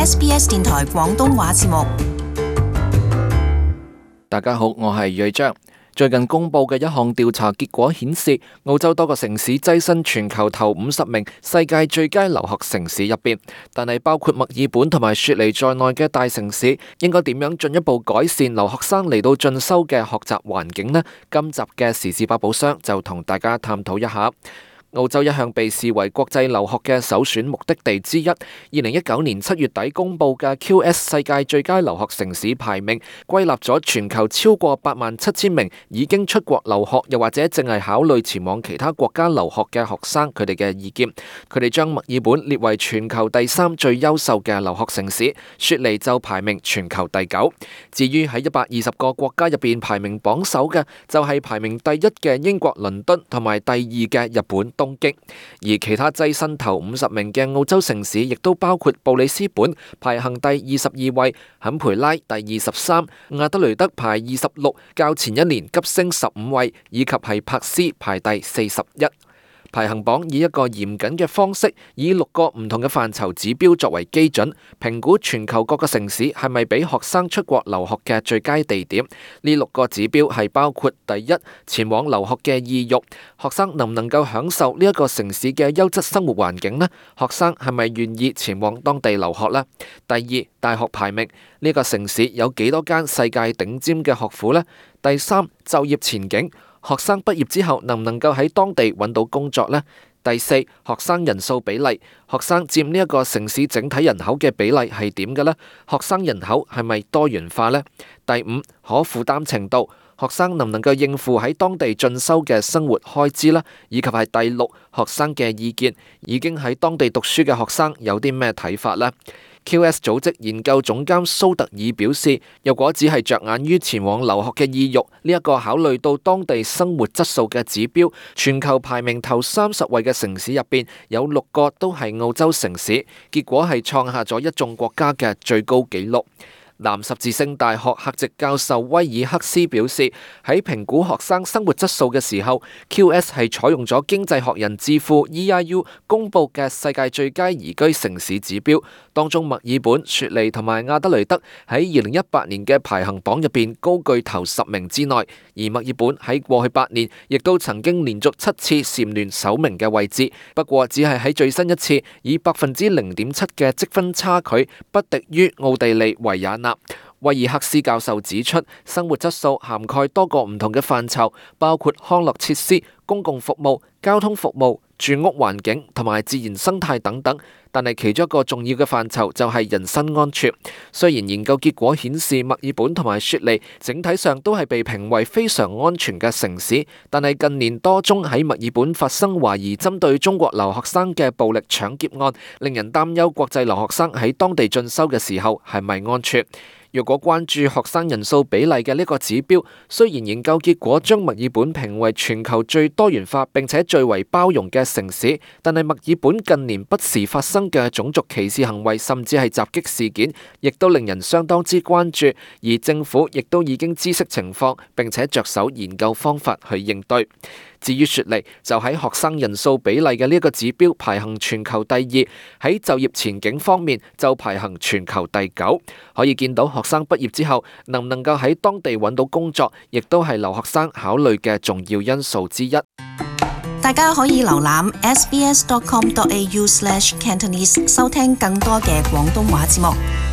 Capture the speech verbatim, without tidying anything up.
S B S 電台廣東話節目。大家好，我係瑞章。最近公布嘅一項調查結果顯示，澳洲多個城市躋身全球頭五十名世界最佳留學城市入邊，但係包括墨爾本同埋雪梨在內嘅大城市，應該點樣進一步改善留學生嚟到進修嘅學習環境呢？今集嘅時事百寶箱就同大家探討一下。澳洲一向被視為國際留學嘅首選目的地之一。二零一九年七月底公布嘅 Q S 世界最佳留學城市排名，歸納咗全球超過八萬七千名已經出國留學，又或者淨係考慮前往其他國家留學嘅學生，佢哋嘅意見。佢哋將墨爾本列為全球第三最優秀嘅留學城市，雪梨就排名全球第九。至於喺一百二十個國家入邊排名榜首嘅，就係排名第一嘅英國倫敦同埋第二嘅日本東京，而其他躋身頭五十名嘅澳洲城市，亦都包括布里斯本排行第二十二位，坎培拉第二十三，亞德雷德排二十六，較前一年急升十五位，以及係柏斯排第四十一。排行榜以一個嚴謹嘅方式，以六個唔同嘅範疇指標作為基準，評估全球各個城市係咪俾學生出國留學嘅最佳地點。呢六個指標係包括：第一，前往留學嘅意欲，學生能唔能夠享受呢一個城市嘅優質生活環境呢？學生係咪願意前往當地留學呢？第二，大學排名，呢個城市有幾多間世界頂尖嘅學府呢？第三，就業前景，學生畢業之後能唔能夠喺當地揾到工作呢？第四，學生人數比例，學生佔呢一個城市整體人口嘅比例係點嘅呢？學生人口係咪多元化呢？第五，可負擔程度，學生能唔能夠應付喺當地進修嘅生活開支呢？以及係第六，學生嘅意見，已經喺當地讀書嘅學生有啲咩睇法呢？Q S 組織研究總監蘇特爾表示，如果只係着眼於前往留學嘅意欲，呢一個考慮到當地生活質素嘅指標，全球排名頭三十位嘅城市入邊，有六個都係澳洲城市，結果係創下咗一眾國家嘅最高紀錄。南十字星大學客席教授威爾克斯表示，喺評估學生生活質素嘅時候 ，Q S 係採用咗經濟學人智庫 E I U 公佈嘅世界最佳宜居城市指標，當中墨爾本、雪梨同埋亞德雷德喺二零一八年嘅排行榜入邊高居頭十名之內，而墨爾本喺過去八年亦都曾經連續七次蟬聯首名嘅位置，不過只係喺最新一次以百分之零點七嘅積分差距不敵於奧地利維也納。威爾克斯教授指出，生活質素涵蓋多個唔同嘅範疇，包括康樂設施、公共服務、交通服務、住屋環境同埋自然生態等等。但係其中一個重要嘅範疇就係人身安全。雖然研究結果顯示墨爾本同埋雪梨整體上都係被評為非常安全嘅城市，但係近年多宗喺墨爾本發生懷疑針對中國留學生嘅暴力搶劫案，令人擔憂國際留學生喺當地進修嘅時候係咪安全。若果關注學生人數比例嘅呢個指標，雖然研究結果將墨爾本評為全球最多元化並且最為包容嘅城市，但係墨爾本近年不時發生嘅種族歧視行為甚至係襲擊事件，亦都令人相當之關注，而政府亦都已經知悉情況並且着手研究方法去應對。至於雪梨，就喺學生人數比例嘅呢一個指標排行全球第二，喺就業前景方面就排行全球第九。可以見到學生畢業之後能唔能夠喺當地揾到工作，亦都係留學生考慮嘅重要因素之一。大家可以瀏覽 s b s dot com dot a u slash cantonese 收聽更多嘅廣東話節目。